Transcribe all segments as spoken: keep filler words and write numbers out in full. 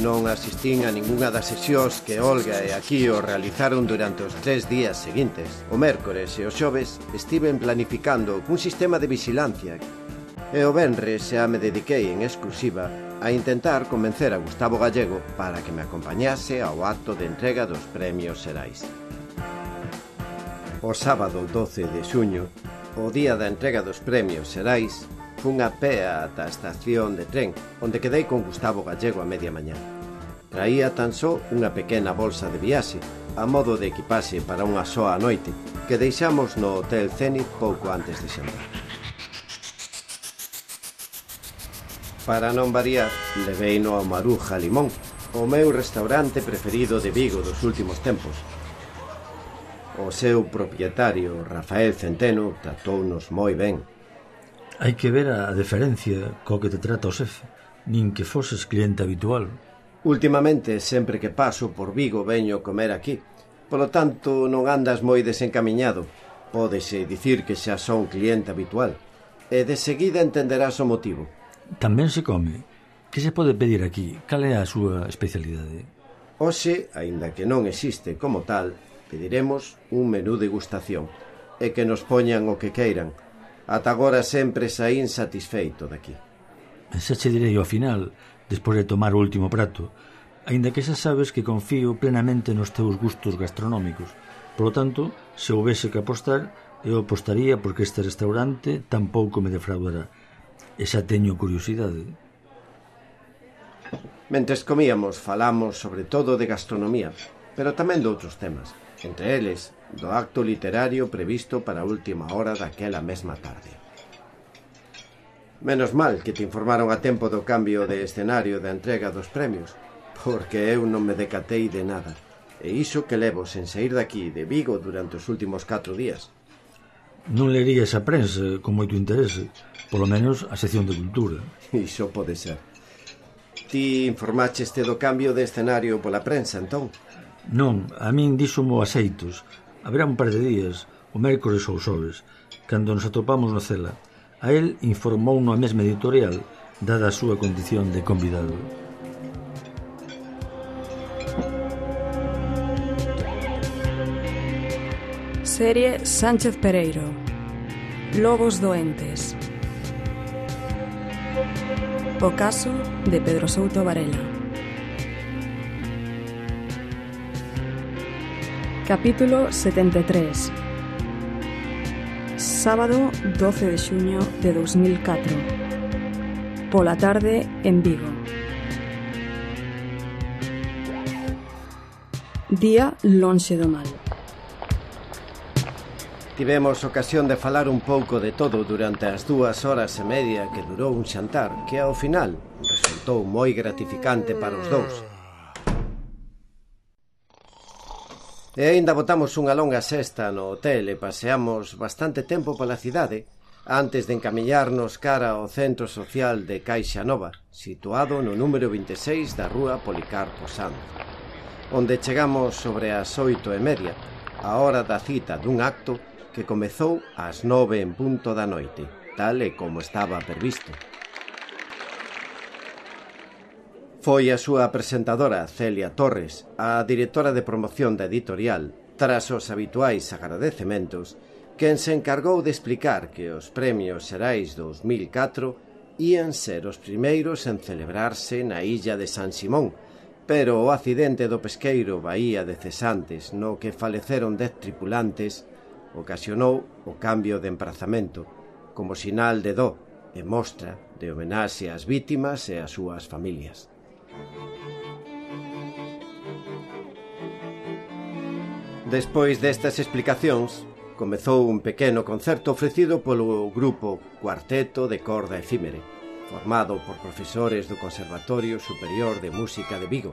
Non asistín a ningunha das sesións que Olga e Aquío realizaron durante os tres días seguintes. O mércores e o xoves estiven planificando un sistema de vigilancia e o venres xa me dediquei en exclusiva a intentar convencer a Gustavo Gallego para que me acompañase ao acto de entrega dos premios Xerais. O sábado doce de xuño, o día da entrega dos premios Xerais, fun a pé ata a estación de tren, onde quedei con Gustavo Gallego a media mañá. Traía tan só unha pequena bolsa de viaxe, a modo de equipaxe para unha soa noite, que deixamos no Hotel Zenit pouco antes de xantar. Para non variar, leveino ao Maruja Limón, o meu restaurante preferido de Vigo dos últimos tempos. O seu propietario, Rafael Centeno, tratounos moi ben. Hai que ver a deferencia co que te trata o xefe, nin que foses cliente habitual. Últimamente, sempre que paso por Vigo veño comer aquí. Polo tanto, non andas moi desencamiñado. Pódese dicir que xa son cliente habitual. E de seguida entenderás o motivo. Tamén se come. Que se pode pedir aquí? Cal é a súa especialidade? Hoxe, aínda que non existe como tal, pediremos un menú degustación e que nos poñan o que queiran. Ata agora sempre saín satisfeito daqui. Xa che direi ao final, despois de tomar o último prato, aínda que xa sabes que confío plenamente nos teus gustos gastronómicos. Polo tanto, se houvese que apostar, eu apostaría porque este restaurante tampouco me defraudará. E xa teño curiosidade. Mentres comíamos, falamos sobre todo de gastronomía, pero tamén de outros temas. Entre eles, do acto literario previsto para a última hora daquela mesma tarde. Menos mal que te informaron a tempo do cambio de escenario da entrega dos premios, porque eu non me decatei de nada, e iso que levo sen saír daqui de Vigo durante os últimos catro días. Non lerías a prensa con moito interese, polo menos a sección de cultura. Iso pode ser. Ti informacheste do cambio de escenario pola prensa, entón? Non, a min díxomo a xeitos. Haberá un par de días, o mércores ou xoves, cando nos atopamos no Cela. A él informou a mesma editorial, dada a súa condición de convidado. Serie Sánchez Pereiro. Lobos doentes. O caso de Pedro Souto Varela. Capítulo setenta e tres. Sábado doce de xuño de dos mil catro. Pola tarde en Vigo. Día lonxe do mal. Tivemos ocasión de falar un pouco de todo durante as dúas horas e media que durou un xantar que ao final resultou moi gratificante para os dous. E aínda botamos unha longa sesta no hotel e paseamos bastante tempo pola cidade antes de encamiñarnos cara ao centro social de Caixa Nova, situado no número vinte e seis da rúa Policarpo Sanz, onde chegamos sobre as oito e media, a hora da cita dun acto que comezou ás nove en punto da noite, tal e como estaba previsto. Foi a súa presentadora, Celia Torres, a directora de promoción da editorial, tras os habituais agradecementos, quen se encargou de explicar que os premios Xerais dos mil catro ían ser os primeiros en celebrarse na illa de San Simón, pero o accidente do pesqueiro Bahía de Cesantes, no que faleceron dez tripulantes, ocasionou o cambio de emprazamento, como sinal de dó e mostra de homenaxe ás vítimas e ás súas familias. Despois destas explicacións, comezou un pequeno concerto ofrecido polo grupo Cuarteto de Corda Efímere, formado por profesores do Conservatorio Superior de Música de Vigo,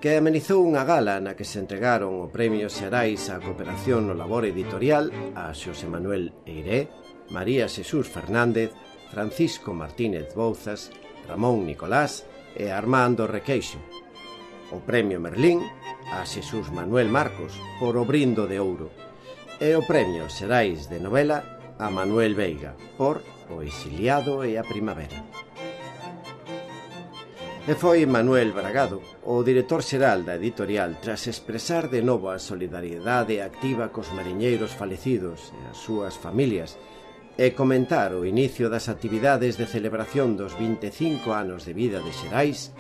que amenizou unha gala na que se entregaron o Premio Xerais á Cooperación no Labor Editorial a Xosé Manuel Eiré, María Xesús Fernández, Francisco Martínez Bouzas, Ramón Nicolás e Armando Requeixo. O Premio Merlín a Xesús Manuel Marcos por O Brindo de Ouro e o Premio Xerais de Novela a Manuel Veiga, por O exiliado e a primavera. E foi Manuel Bragado, o director xeral da editorial, tras expresar de novo a solidariedade activa cos mariñeiros falecidos e as súas familias e comentar o inicio das actividades de celebración dos vinte e cinco anos de vida de Xerais,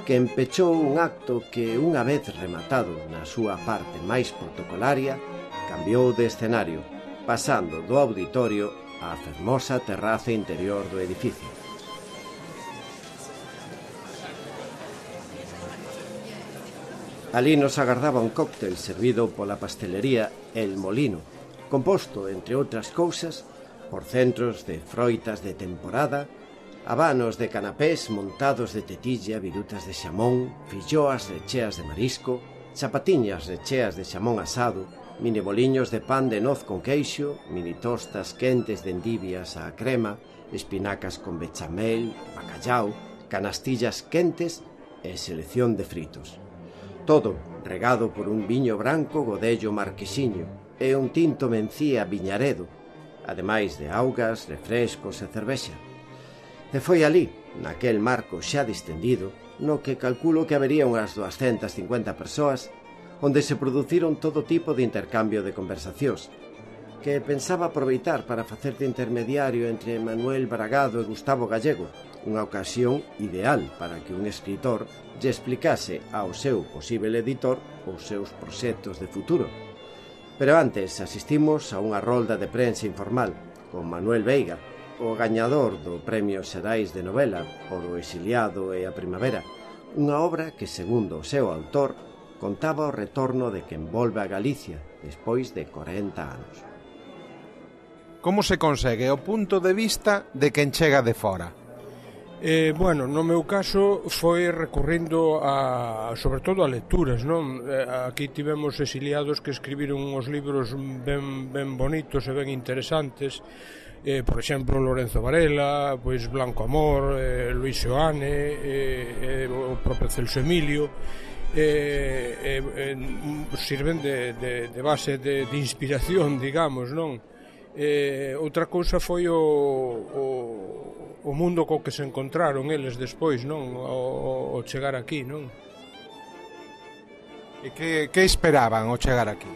que empechou un acto que, unha vez rematado na súa parte máis protocolaria, cambiou de escenario, pasando do auditorio á fermosa terraza interior do edificio. Ali nos agardaba un cóctel servido pola pastelería El Molino, composto, entre outras cousas, por centros de froitas de temporada, habanos de canapés montados de tetilla, virutas de xamón, filloas recheas de marisco, chapatiñas recheas de xamón asado, mini boliños de pan de noz con queixo, mini tostas quentes de endivias á crema, espinacas con bechamel, bacallao, canastillas quentes e selección de fritos. Todo regado por un viño branco Godello Marquesiño e un tinto Mencía Viñaredo, ademais de augas, refrescos e cervexa. E foi ali, naquel marco xa distendido, no que calculo que habería unhas doscientas cincuenta persoas, onde se produciron todo tipo de intercambio de conversacións, que pensaba aproveitar para facer de intermediario entre Manuel Bragado e Gustavo Gallego, unha ocasión ideal para que un escritor lle explicase ao seu posible editor os seus proxectos de futuro. Pero antes asistimos a unha rolda de prensa informal con Manuel Veiga, o gañador do Premio Xerais de Novela por O exiliado e a primavera, unha obra que, segundo o seu autor, contaba o retorno de quen volve a Galicia despois de corenta anos. Como se consegue o punto de vista de quen chega de fora? Eh, bueno, no meu caso foi recurrindo a, sobre todo a lecturas, non? Eh, aquí tivemos exiliados que escribiron uns libros ben, ben bonitos e ben interesantes, eh, por exemplo Lorenzo Varela, pois Blanco Amor, eh, Luis Seoane, eh, eh, o propio Celso Emilio, eh, eh, eh, sirven de, de, de base de, de inspiración, digamos, non? Eh, outra cousa foi o, o o mundo co que se encontraron eles despois, non? O, o chegar aquí, non? E que, que esperaban ao chegar aquí?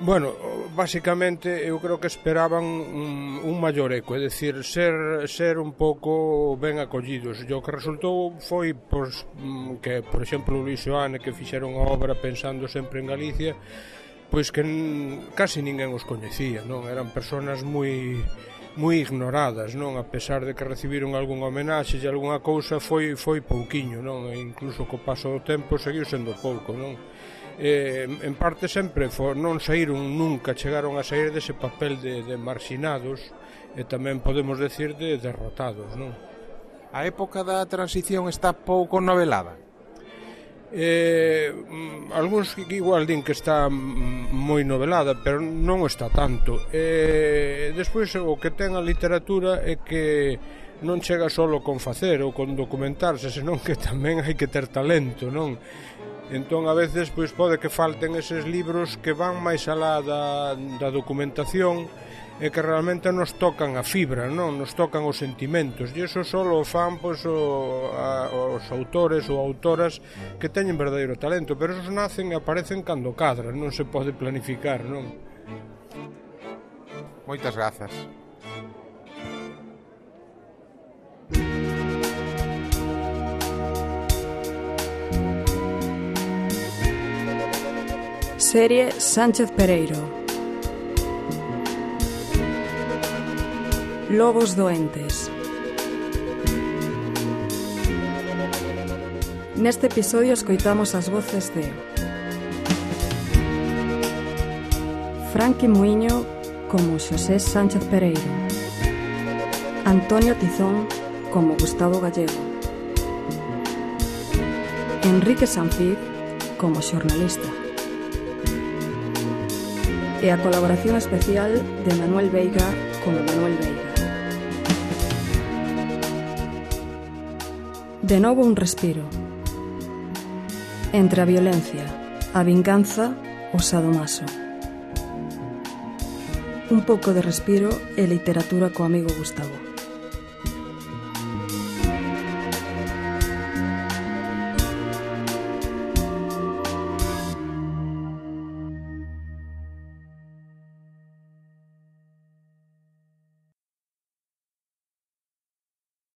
Bueno, basicamente eu creo que esperaban un, un maior eco, é dicir, ser, ser un pouco ben acollidos. E o que resultou foi pois, que, por exemplo, Luis Seoane, que fixeron a obra pensando sempre en Galicia, pois que casi ninguén os coñecía, non? Eran personas moi moi ignoradas, non? A pesar de que recibiron algún homenaxe e algunha cousa, foi foi pouquiño, non? E incluso co paso do tempo seguiu sendo pouco, non? Eh, en parte sempre for, non saíron nunca, chegaron a sair dese papel de, de marxinados e tamén podemos decir de derrotados, non? A época da transición está pouco novelada? Eh, algúns igual din que está moi novelada, pero non está tanto. Eh, despois o que ten a literatura é que non chega solo con facer ou con documentarse, senón que tamén hai que ter talento, non? Entón a veces pois pode que falten eses libros que van máis alá da, da documentación e que realmente nos tocan a fibra, non? Nos tocan os sentimentos, e iso só o fan pois, o, a, os autores ou autoras que teñen verdadeiro talento, pero esos nacen e aparecen cando cadran, non se pode planificar, non? Moitas grazas. Serie Sánchez Pereiro. Lobos doentes. Neste episodio escoitamos as voces de Franqui Muiño como Xosé Sánchez Pereiro, Antonio Tizón como Gustavo Gallego, Enrique Sanfiz como xornalista e a colaboración especial de Manuel Veiga como Manuel Veiga. De novo un respiro entre a violencia, a vinganza, o sadomaso. un pouco de respiro e literatura co amigo Gustavo.